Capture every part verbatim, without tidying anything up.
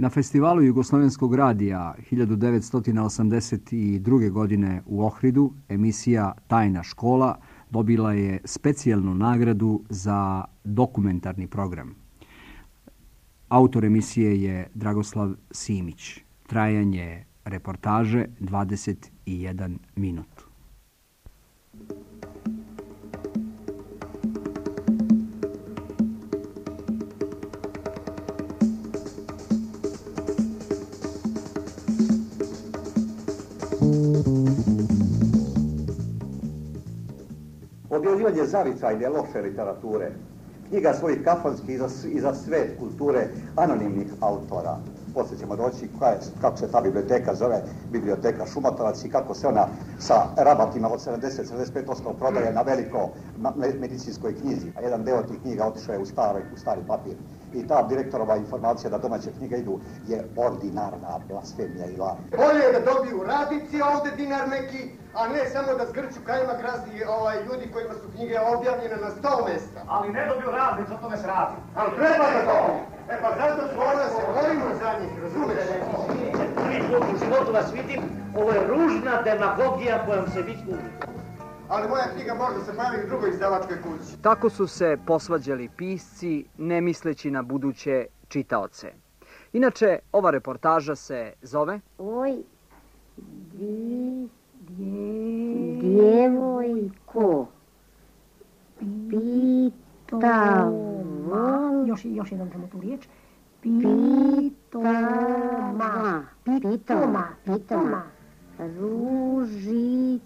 Na festivalu Jugoslovenskog radija hiljadu devetsto osamdeset druge. godine u Ohridu emisija Tajna škola dobila je specijalnu nagradu za dokumentarni program. Autor emisije je Dragoslav Simić. Trajanje reportaže dvadeset jedan minut. Objavljivanje zavičajne loše literature, knjiga svojih kafanskih i za svet kulture anonimnih autora. Poslije ćemo doći kako se ta biblioteka zove, biblioteka Šumotovac, i kako se ona sa rabatima od sedamdeset do sedamdeset pet posto prodaje na veliko medicinskoj knjizi, a jedan deo tih knjiga otišao je u stari papir. I ta direktorova informacija da domaće knjige idu je ordinarna blasfemija i laž. Bolje je da dobiju radnici ovde dinar neki, a ne samo da zgrču kajmak razni ljudi kojima su knjige objavljene na sto mesta. Ali ne dobiju radnici, o tome se radi. Ali treba da dobiju. E pa zato smo onda se borimo za njih, razumeš? Prvi put u životu vas vidim, ovo je ružna demagogija kojom se vi služite. Ali moja knjiga može se bavi u drugoj izdavačkoj kući. Tako su se posvađali pisci, ne misleći na buduće čitaoce. Inače, ova reportaža se zove... Oj, di, dje, djevojko, pitava, još, još jednom ćemo tu riječ, pitoma, pitoma, pitoma, ružice.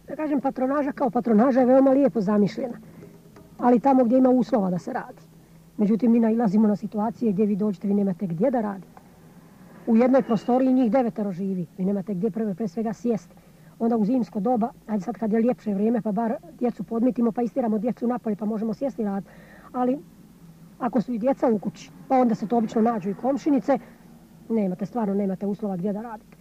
Da kažem, patronaža kao patronaža je veoma lijepo zamišljena, ali tamo gdje ima uslova da se radi. Međutim, mi nailazimo na situacije gdje vi dođete, vi nemate gdje da radite. U jednoj prostoriji njih devetero živi, vi nemate gdje prve pre svega sjesti. Onda u zimsko doba, ajde sad kad je ljepše vrijeme, pa bar djecu podmitimo, pa istiramo djecu napolje, pa možemo sjesti raditi. Ali ako su i djeca u kući, pa onda se to obično nađu i komšinice, nemate, stvarno nemate uslova gdje da radite.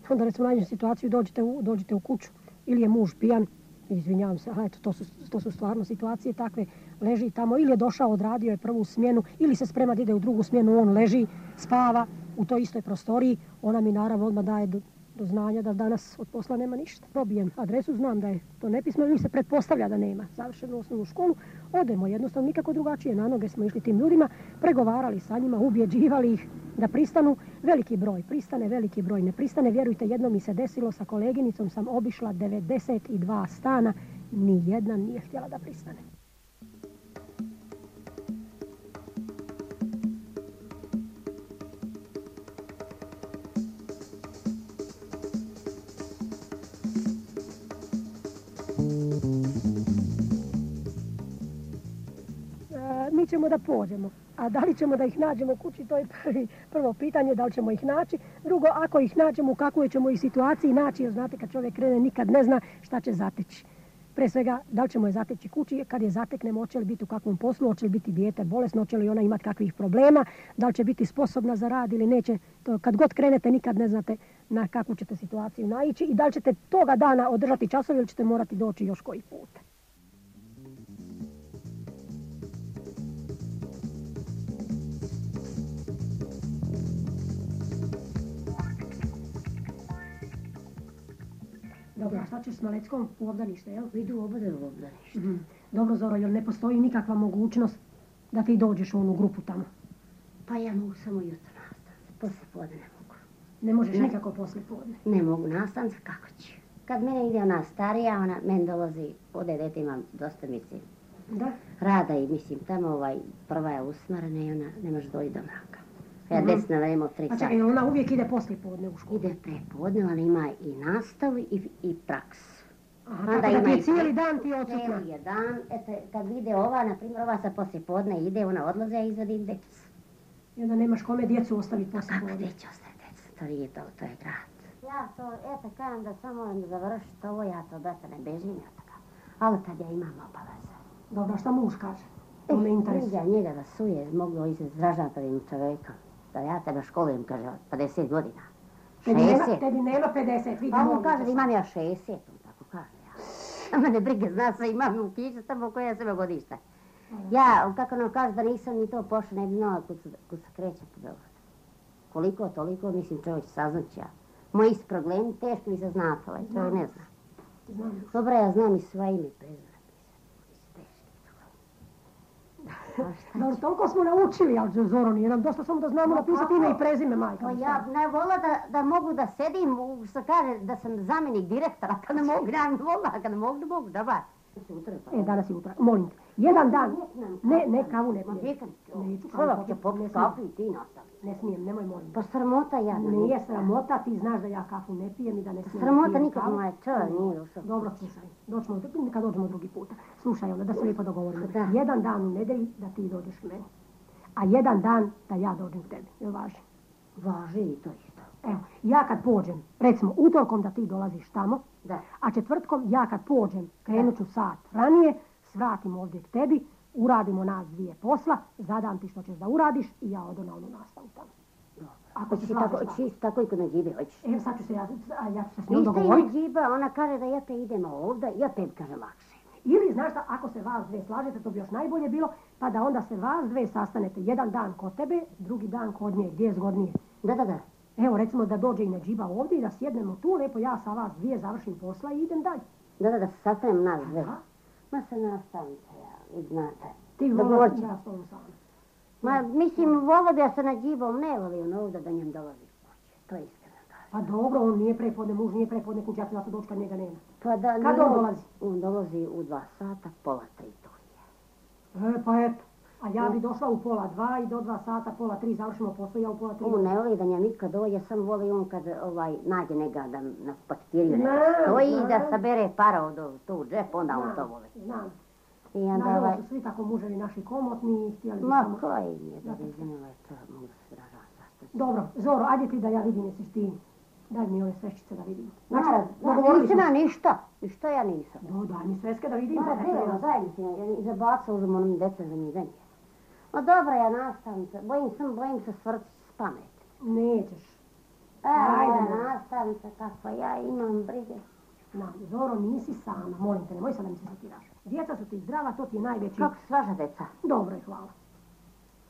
Onda recimo nađemo situaciju, dođete u, dođete u kuću, ili je muž pijan, izvinjavam se, ali eto, to su, to su stvarno situacije takve, leži tamo, ili je došao, odradio je prvu smjenu, ili se sprema da ide u drugu smjenu, on leži, spava u toj istoj prostoriji, ona mi naravno odmah daje do, do znanja da danas od posla nema ništa. Probijem adresu, znam da je to nepismeno, ili se pretpostavlja da nema završenu osnovnu školu, odemo jednostavno nikako drugačije, na noge smo išli tim ljudima, pregovarali sa njima, ubjeđivali ih da pristanu, veliki broj pristane, veliki broj ne pristane, vjerujte, jedno mi se desilo, sa koleginicom sam obišla devedeset dva stana, ni jedna nije htjela da pristane. Mi ćemo da pođemo, a da li ćemo da ih nađemo u kući, to je prvi, prvo pitanje, da li ćemo ih naći. Drugo, ako ih nađemo, u kakvoj ćemo ih situaciji naći, jer znate kad čovjek krene nikad ne zna šta će zateći. Pre svega, da li ćemo je zateći kući, kad je zateknemo, hoće li biti u kakvom poslu, hoće li biti dijete bolesno, hoće li ona imati kakvih problema, da li će biti sposobna za rad ili neće. To, kad god krenete, nikad ne znate na kakvu ćete situaciju naići i da li ćete toga dana održati časovi ili ćete morati doći još koji put. Dobro, a šta ćeš s Maleckom u obdanište, jel? Idu u obdanište. Mm-hmm. Dobro, Zoro, jel ne postoji nikakva mogućnost da ti dođeš u onu grupu tamo? Pa ja mogu samo jutro nastaviti, poslije podne ne mogu. Ne možeš ne. Nikako poslije podne? Ne mogu nastaviti, kako ću? Kad mene ide ona starija, ona meni dolazi, ode dete imam dosta, mislim, da? Rada i mislim, tamo ovaj, prva je usmrena i ona ne može doći do mraka. Ja desna vrema od tri sata. A čekaj, ona uvijek ide poslije podne u školu? Ide prepodne, ali ima i nastavu i, i praksu. Aha, tako da ti je cijeli dan ti odsutna? Cijeli je dan, eto, kad ide ova, na primjer, ova sa poslije podne ide, ona odlaze, ja izvadim djecu. I onda nemaš kome djecu ostaviti poslije podne? Kako gdje će ostaviti djecu, to nije to, to je grad. Ja to, eto, kažem da samo moram završiti ovo, ja to da se ne bežim, ja tako. Ali tad ja imam obaveze. Dobro, šta muž kaže? To me interesuje. Ja njega da suje, mogu izražavati čovjeka. Da ja tebe školujem, kaže, od pedeset godina. Tebi nema, šezdeset. tebi nema pedeset, vidi. Pa on molim kaže te. da imam ja šezdeset, on tako kaže. Ja. A mene brige, zna se, imam u kišu tamo koja je sebe godišta. Ja, kako nam kaže da nisam ni to pošla, ne bi znala kud se, kud se kreće po Beogradu. Koliko, toliko, mislim, čovjek saznat će ja. Moji su problemi, teško mi se znati, ovaj čovjek ne zna. Znam. Dobro, ja znam i svoje ime i prezime. Dobro, toliko smo naučili, ali Zoro, nije nam dosta samo da znamo napisati ime i prezime, majka. Pa ja ne vola da, da mogu da sedim, u, što kaže, da sam zamjenik direktora, kad ne mogu, ja ne vola, kad ne mogu, da mogu, da ba. E, danas je utra, molim te. Jedan dan, ne, ne, kavu ne pijem. Neću kavu Čovjek će popiti, popiti ne smijem. kafu i ti nastavi. Ne smijem, nemoj molim. Pa sramota ja. Nije sramota, ti znaš da ja kafu ne pijem i da ne smijem. Sramota pijem nikad kavu. moja čovjek nije došao. Dobro, slušaj, doćemo, kad dođemo drugi puta. Slušaj onda, da se lijepo dogovorimo. Da. Jedan dan u nedelji da ti dođeš k meni, a jedan dan da ja dođem k tebi. Jel važi? Važi i to isto. Evo, ja kad pođem, recimo utorkom da ti dolaziš tamo, Da. a četvrtkom ja kad pođem, krenut ću sat ranije, svratim ovdje k tebi, uradimo nas dvije posla, zadam ti što ćeš da uradiš i ja odo na onu nastavu tamo. Ako se Hoćeš slažeš tako, tako. hoćeš tako i kod Nađibe, hoćeš. Evo sad ću se ja, a ja ću se s njom Ništa i dogovoriti. Nađiba, ona kaže da ja te idemo ovdje, ja tebi kaže lakše. Ili, znaš šta, ako se vas dve slažete, to bi još najbolje bilo, pa da onda se vas dve sastanete jedan dan kod tebe, drugi dan kod nje, gdje je zgodnije. Da, da, da. Evo, recimo da dođe i Nađiba ovdje i da sjednemo tu, lepo ja sa vas dvije završim posla i idem dalje. Da, da, da se sastavim nas dve. Aha. Ma se nastavim se ja, vi znate. Ti Dogovorit voliš ćemo. ja s tobom sama. Ma, mislim, volio bi ja sa Nađibom, ne volio on ovdje da njem dolazi kuće. To je iskreno. Pa dobro, on nije prepodne, muž nije prepodne kuće, ja ću zato doći kad njega nema. Pa da, Kad ne, on dolazi? On dolazi u dva sata, pola tri to je. E, pa eto. A ja bi došla u pola dva i do dva sata, pola tri, završimo posao, ja u pola tri. On ne voli da njem nikad dođe, sam voli on kad ovaj, nađe njega da na paketiriju Znam, neka stoji znam. da sabere para od tu u džep, onda on to Znam, voli. znam. I onda Naravno ovaj, su svi tako muževi naši komotni i htjeli bi ma samo... koji mi je da vidim ovaj to, mogu se ražati zašto će. Dobro, Zoro, ajde ti da ja vidim jesi ti. Daj mi ove sveščice da vidim. Naravno, dogovorili nisam smo ja se. ništa, ništa ja nisam. Do, daj mi sveske da vidim. Ma, bilo, zajednici, i zabacao uzem onom deca za nizanje. Ma dobro, ja nastavim se, bojim sam, bojim se svrti s pameti. Nećeš. E, Ajde, ja molim. nastavim se kakva ja imam brige. Na, Zoro, nisi sama. Molim te, nemoj sad da mi se zatiraš. Djeca su ti zdrava, to ti je najveći... Kako su vaša deca? Dobro je, hvala.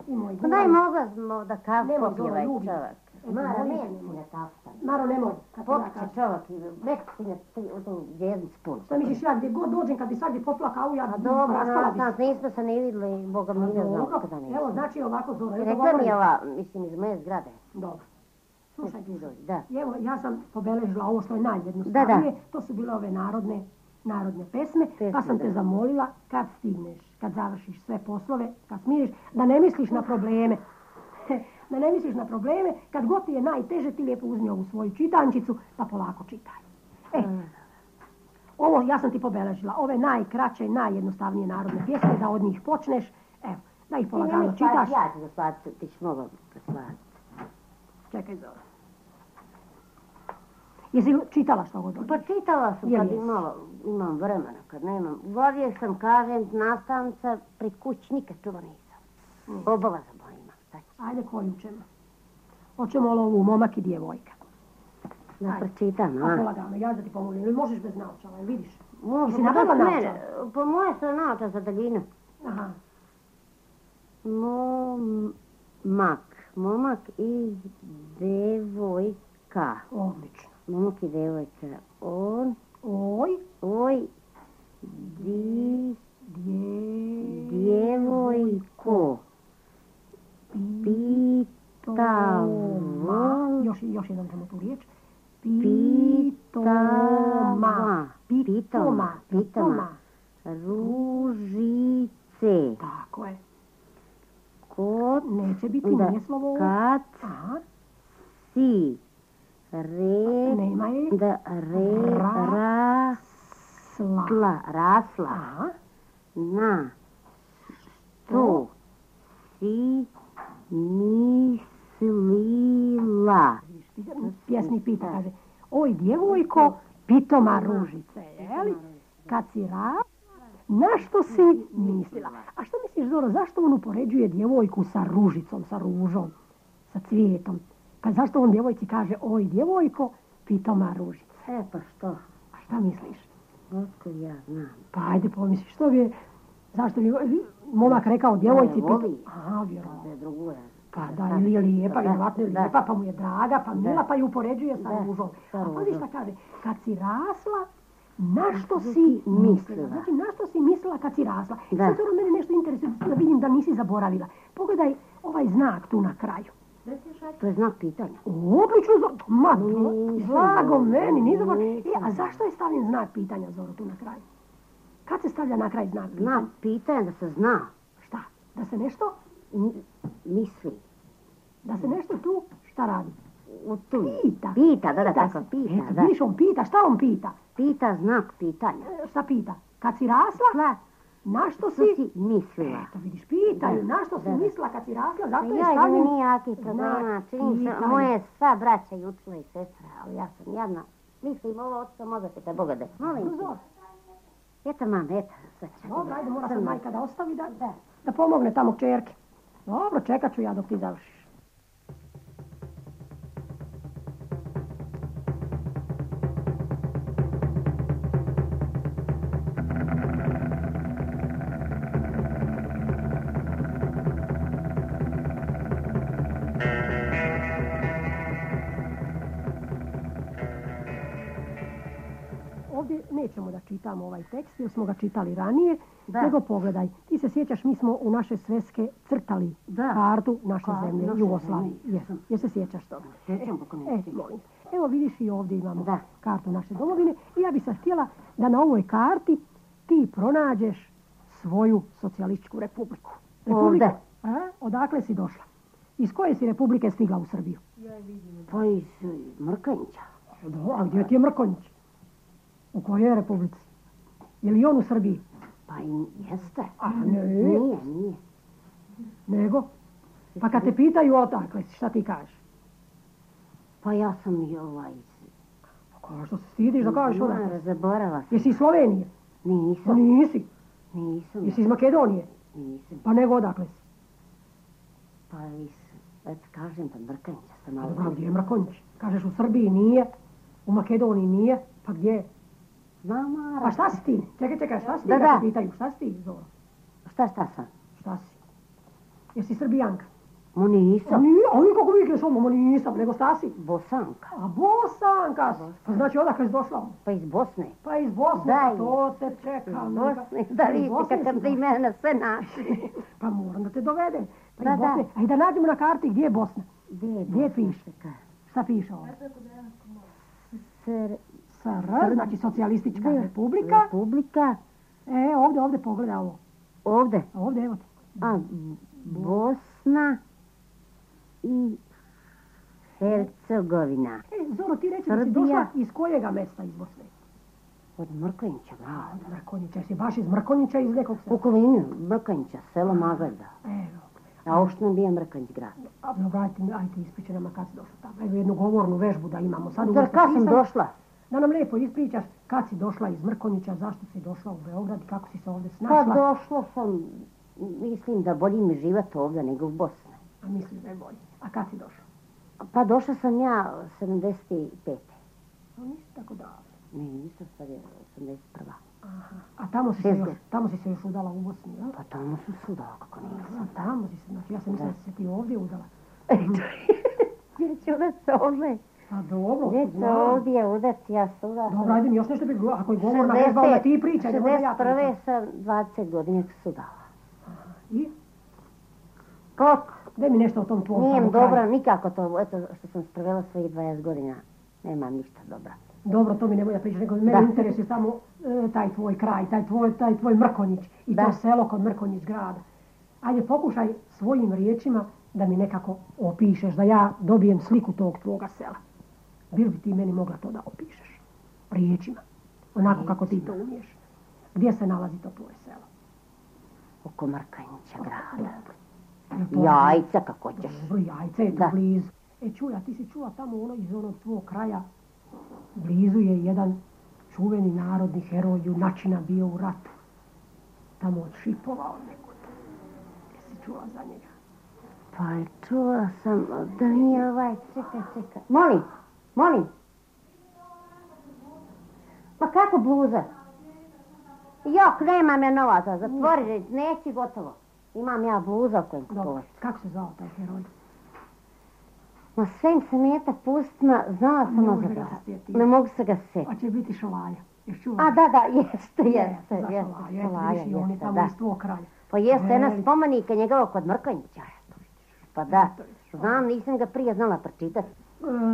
I moj Pa daj mogla smo da kafu Nemoj, popije Zoro, ovaj ljubim. čovjek. Eto, Mara, molim te, ne, nemoj. ne kafu. Maro, nemoj. Kad ti ja Popit će kažem. čovjek i rekao si ne ti u tu djeznicu pun. Šta misliš, ja gdje god dođem, kad bi svakdje popila kavu, ja A dobro, raspala bi nas se. nismo se ne vidjeli, Boga mi ne znam Dobro, kada nismo. evo, znači ovako, Zoro, I evo rekla mi govorim. je ova, mislim, iz moje zgrade. Dobro. Slušaj, Ti dođi, da. evo, ja sam pobeležila ovo što je najjednostavnije. Da, To su bile ove narodne, narodne pesme, Pesme, pa sam te da. zamolila kad stigneš, kad završiš sve poslove, kad smiriš, da ne misliš na probleme. Da ne misliš na probleme, kad god ti je najteže, ti lijepo uzmi ovu svoju čitančicu, pa polako čitaj. E, ovo ja sam ti pobeležila, ove najkraće i najjednostavnije narodne pjesme, da od njih počneš, evo, da ih polagano čitaš. Ja ću zaslati, ti ću mogla zaslati. Čekaj, Zoro. Jesi čitala što god Pa dođe? čitala sam Jel kad jesi? imala, imam vremena, kad nemam. Uglavije sam, kažem, nastavnica pri kući nikad čuva nisam. Obaveza bo imam, šta ću? Ajde, koju ćemo? Hoćemo li ovu momak i djevojka? Da Ajde. pročitam, A a? polagano, ja da ti pomogu. Ili možeš bez naočala, jel vidiš? Može, Jesi pa nabavila to s mene, naočale? po moje su naoča za daljinu. Aha. Momak, momak i devojka. Odlično. Momak i devojka. On, Oj, oj, di, dje... djevojko. Pitava. Još, još jednom ćemo tu riječ. Pitama. Pitoma. Pitoma. Ružice. Tako je. Kod Neće biti, da, nije slovo ovo. kad Aha, si re, nema je. da re, Ra- Sla. rasla, rasla Aha, na što si mislila. pjesnik pita, kaže, oj djevojko, pitoma ružice, jeli? Kad si rasla, na što si mislila? A što misliš, Zoro, zašto on upoređuje djevojku sa ružicom, sa ružom, sa cvijetom? Pa zašto on djevojci kaže, oj djevojko, pitoma ružica? E, pa što? A šta misliš? Otkud ja znam. Pa ajde pomisli, što bi, zašto bi momak rekao djevojci Ne, voli. pita... Aha, vjerovatno. Da je drugu ja. Pa da, ili je lijepa, Da, vjerovatno je da. lijepa, pa mu je draga, pa mila, pa ju upoređuje sa Da, ružom. sa A pa ružom. šta kaže, kad si rasla, na što Što si si mislila? mislila? Znači, na što si mislila kad si rasla? I Da. sad ono mene nešto interesuje, da vidim da nisi zaboravila. Pogledaj ovaj znak tu na kraju. To je znak pitanja. Oblično, Zoro, ma, Nisam blago zaboravila, meni, nisam zaboravila. E, nisam a zašto je stavljen znak pitanja, Zoro, tu na kraju? Kad se stavlja na kraj znak pitanja? Znak pitanja da se zna. Šta? Da se nešto, N- Misli. da se nešto tu, šta radi? U tu. Pita. Pita, da, da, tako, se. pita, Eto, da. vidiš, on pita, šta on pita? Pita znak pitanja. E, Šta pita? Kad si rasla, Sla, na što što si... si mislila? Eto, vidiš, pitaju, Da, na što si da, da. mislila kad si rasla, Pa zato je ja da mi stavljen... nije jaki problema, znak čini se, pitanja. moje sva braća i učila i sestra, ali ja sam jadna. Mislim, ovo otišao možda te Boga da. Molim te. Zoro, Eto, mam, eto, sad ću. dobro, ajde, mora sad Crno. majka da ostavi da, Da. da pomogne tamo kćerke. Dobro, čekat ću ja dok ti završiš. Ovdje nećemo da čitamo ovaj tekst, jer smo ga čitali ranije, Da. nego pogledaj. Ti se sjećaš, mi smo u naše sveske crtali Da. kartu naše Kartu zemlje, naše Jugoslavije. zemlje, Jesam. Jer se sjećaš toga? Sjećam, kako ne E, sjećam. molim te. Evo vidiš i ovdje imamo Da. kartu naše domovine i ja bih sad htjela da na ovoj karti ti pronađeš svoju socijalističku republiku. Republiku. Ovdje. A? Odakle si došla? Iz koje si republike stigla u Srbiju? Pa iz e, Mrkanjića. Do, a gdje ti je Mrkonjić? U kojoj republici? Je li on u Srbiji? Pa i jeste. A ne, Nije, nije. nego? Pa kad te pitaju odakle si, šta ti kažeš? Pa ja sam i ovaj... Pa kao što se stidiš da kažeš odakle? Mara, zaborava sam. Jesi iz Slovenije? Pa Nisam, nisi. nisam. Jesi iz Makedonije? Nisam. Pa nego odakle si? Pa iz... Eto, kažem, pa Mrkanjića sam malo... Dobro, gdje je Mrkonjić? Kažeš u Srbiji nije, u Makedoniji nije, pa gdje je? Znam, Mara. Pa šta si ti? Čekaj, čekaj, šta si ti Da, kad da. te pitaju? Šta si ti, Zoro? Šta, šta sam? Šta si? Jesi Srbijanka? Mo A nisam. nije, a nije kako vikneš ono, ma nisam, nego šta si? Bosanka. A Bosanka si. Pa znači odakle si došla? Pa iz Bosne. Pa iz Bosne, Da, pa to te čeka. Iz neka- Bosne. Da Iz vidite Bosne kakav si da i došla. mene sve našli. Pa moram da te dovedem. Pa Da, iz Bosne. da. A i da nađemo na karti gdje je Bosna. Gdje je Gdje Bosna? piše? Čekaj. Šta piše ovdje? Sr... S R, znači socijalistička republika. Republika. E, ovdje, ovdje, pogledaj ovo. Ovdje. Ovdje, evo ti. A, Bosna i Hercegovina. E, Zoro, ti reći da si Srbija. došla iz kojega mesta iz Bosne? Od Mrkonjića, A, grad. od Mrkonjića. Jesi baš iz Mrkonjića iz nekog U sela? okolini Mrkonjića, selo Magalda. Evo. A ošto bio Mrkonjić grad. A, dobro, ajte, ajte ispričaj nama kad si došla tamo. Evo jednu govornu vežbu da imamo. Sad Zar kad sam pisali. došla? Da nam lijepo ispričaš kad si došla iz Mrkonjića, zašto si došla u Beograd i kako si se ovdje Pa snašla. došla sam, mislim da bolji mi život ovdje nego u Bosni. A misliš da je bolje. A kad si došla? Pa došla sam ja sedamdeset pete. No, nisi tako davno. Ne, nisam sad je osamdeset prva. Aha. A tamo si, se Šest još, tamo si se još udala u Bosni, jel? Pa tamo su sudala, kako nisam. A tamo si se, znači ja sam mislila da si se ti ovdje udala. Gdje ću da se ovdje? A dobro, Gdje ću znam. ovdje udati, ja sudala. Dobro, ajde mi još nešto bi, ako je govorna vežba, onda ti pričaj, ne možda ja šezdeset prve pričam. sam dvadeset godina sudala. I? Kako? Daj mi nešto o tom tvom Nije mi tamo kraju. dobro, nikako to, eto što sam sprovela svojih dvadeset godina. Nemam ništa dobra. Dobro, to mi nemoj da pričaš, nego mene Da. interesuje samo e, taj tvoj kraj, taj tvoj, taj tvoj Mrkonjić i Da. to selo kod Mrkonjić grada. Ajde, pokušaj svojim riječima da mi nekako opišeš, da ja dobijem sliku tog tvoga sela. Bil bi ti meni mogla to da opišeš? Riječima. Onako kako ti to umiješ. Gdje se nalazi to tvoje selo? Oko Mrkanjića grada. Jel to- Jajca kako ćeš. Dobro, jajce je tu Da. blizu. E, čuja, ti si čula tamo ono iz onog tvog kraja, blizu je jedan čuveni narodni heroj junačina bio u ratu. Tamo od Šipova od nekud. Jesi čula za njega? Pa Pa čula sam da nije ovaj, čekaj, čekaj. Molim, molim. Pa kako bluza? Jok, nemam ja novaca, zatvori, neći gotovo. Imam ja bluza kojem kupovati. Kako se zvao taj heroj? Ma sve im se meta pustima, znala sam ga zaboraviti. Ne mogu se ga sjetiti. A će biti Šolaja. A da, da, jeste, jeste, jeste, Šolaja, jeste, da. Iz tvoj kralja. Pa jeste, jedna spomenika njegovog kod Mrkonjića. Pa da, znam, nisam ga prije znala pročitati.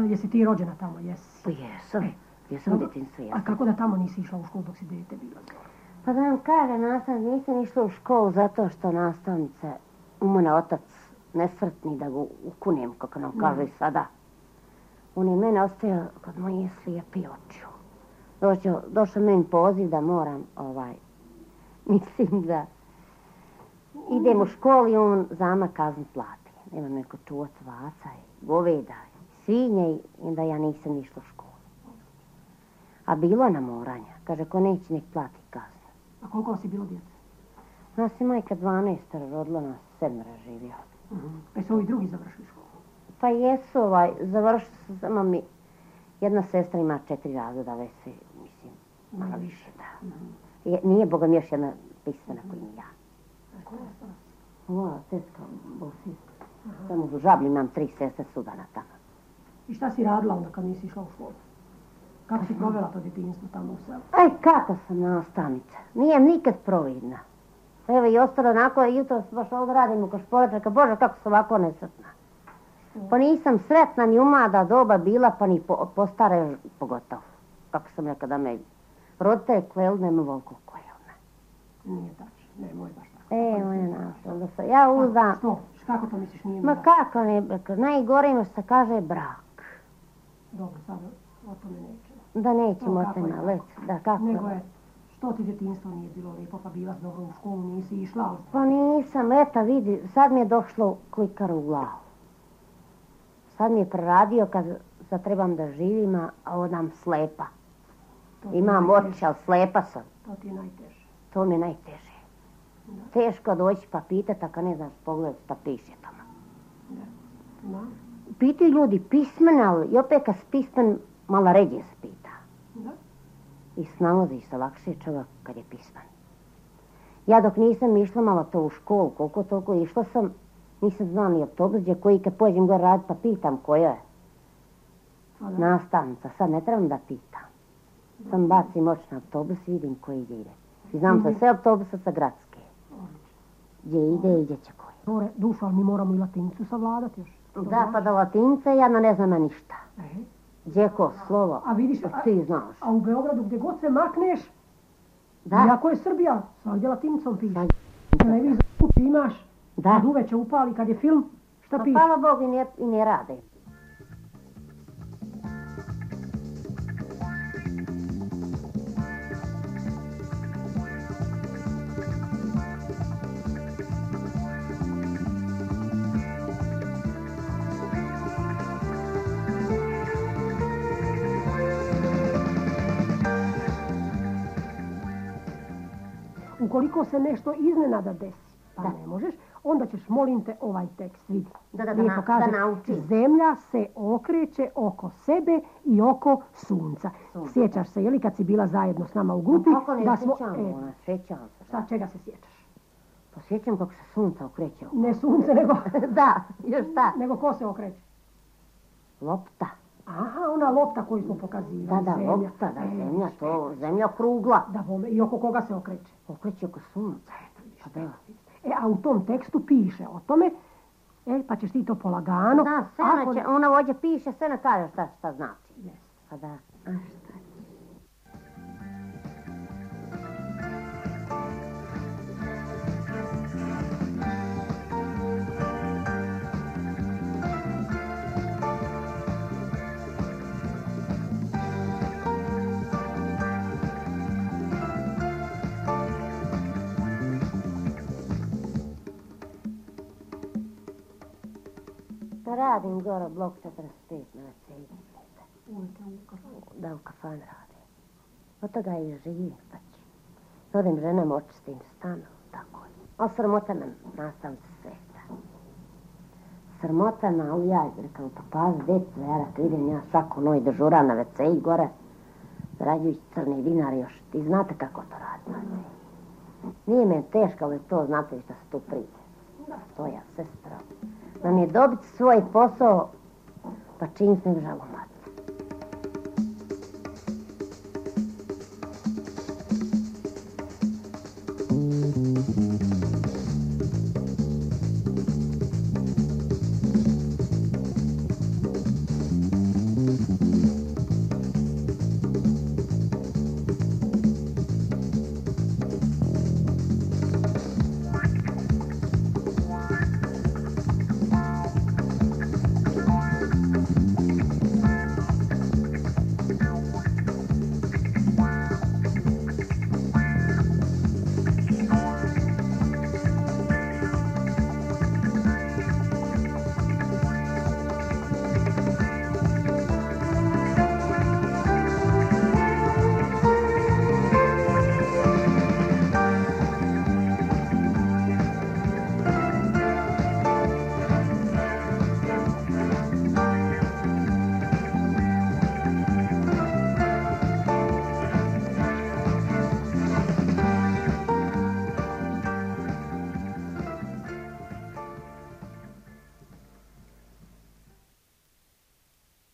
Jesi ti rođena tamo, jesi? Pa jesam, jesam u djetinjstvu, jesam. A kako da tamo nisi išla u školu dok si dete bila? Pa da vam kažem, nastavnica, nisam išla u školu zato što nastavnica, umone otac, nesretni da ga ukunem, kako nam kaže i sada. On je mene ostavio kod moje slijepi očiju. Došao, došao meni poziv da moram, ovaj, mislim da idem u školu i on zama kaznu plati. Nema neko čuvat vaca i goveda i svinje i da ja nisam išla u školu. A bilo na moranja. Kaže, ko neće nek plati kaznu. A koliko si bilo djece? Nas je majka dvanaestoro rodila, nas sedmera živio. Uh-huh. Pa su ovi drugi završili školu? Pa jesu, ovaj, završili su samo mi. Jedna sestra ima četiri razreda, već se, mislim, malo više, da. Uh-huh. Je, nije, Boga mi, još jedna pisana uh-huh. koji mi ja. A koja je stala? Ova, tetka, Bosijska. Uh-huh. Samo u Žablju imam tri sestre sudana tamo. I šta si radila onda kad nisi išla u školu? Kako si provela to djetinjstvo tamo u selu? Aj, kako sam nastavnica. Nijem nikad providna. Evo i ostalo onako, jutro baš ovdje radim u Košporačaka. Bože, kako sam ovako nesretna. Pa nisam sretna ni u mlada doba bila, pa ni po, po stare pogotovo. Kako sam rekao da me roditelj kleli, nema volko kleli. Nije tačno, nemoj baš tako. E, moja nastavnica, sam. Ja uzdam. Što? Kako to misliš nije mi Ma kako ne, najgore ima što se kaže brak. Dobro, sad o tome nećemo. Da nećemo o tome, let, da kako. Nego je, što ti djetinjstvo nije bilo lijepo, pa bila dobro u školu, nisi išla, ali... Pa nisam, eto vidi, sad mi je došlo klikar u glavu. Sad mi je preradio kad sad trebam da živim, a odam slepa. Imam oči, ali slepa sam. To ti je najteže. To mi je najteže. Da. Teško doći pa pitati, ako ne znaš pogledati šta piše tamo. Da. Da. Pitaju ljudi pismene, ali i opet kad si pismen, malo ređe se pita. Da. I snalazi se lakše čovjek kad je pismen. Ja dok nisam išla malo to u školu, koliko toliko išla sam, nisam znala ni autobus gdje koji kad pođem gore raditi pa pitam koja je. Nastavnica, sad ne trebam da pitam. Sam bacim oči na autobus i vidim koji ide. I znam za sve autobusa sa gradske. Gdje ide i gdje će koji. Dušo, ali mi moramo i latinicu savladati još. Da, pa da latince, ja ne znam ništa. Gdje ko slovo, a vidiš, ti znaš. A u Beogradu gdje god se makneš, da. Iako je Srbija, svakdje latinicom piše. Televizor kući imaš, da. Kad uveče upali, kad je film, šta piše? Pa hvala Bogu i ne, i ne rade. Ukoliko se nešto iznenada desi, pa da. Ne možeš, onda ćeš, molim te, ovaj tekst vidi. Da, da, da, na, kaže, da nauči. Zemlja se okreće oko sebe i oko sunca. Sunca. Sjećaš se, je li kad si bila zajedno s nama u grupi? Pa kako ne da smo, sjećam, e, ona, sjećam se. Šta, čega se sjećaš? Pa sjećam kako se sunca okreće. Ne sunce, nego... da, još šta? Nego ko se okreće? Lopta. Aha, ona lopta koju smo pokazivali. Da, da, zemlja. Lopta, da, e, zemlja, to, zemlja krugla. Da, bome, i oko koga se okreće? Okreće oko sunca. Pa da. E, a u tom tekstu piše o tome, e, pa ćeš ti to polagano. Da, Sena ako... će, ona ovdje piše, Sena kaže šta, šta znači. Yes. Pa da, a šta je? Radim gore blok četrdeset pet na Mercedes. Da, u kafan radim. Od toga i živim, pa ću. Odem ženam, očistim stanu, tako je. A sramota me nastavim se sveta. sramota na ali ja rekao, pa pazi, djeco, ja rekao, idem ja svako noj dežura na ve ce i gore, zarađujući crni dinar još. Ti znate kako to radi na ve ce. Nije me teško, ali to znate što se tu priđe. To ja, sestra. Nam je dobiti svoj posao, pa čim se ne žalomati.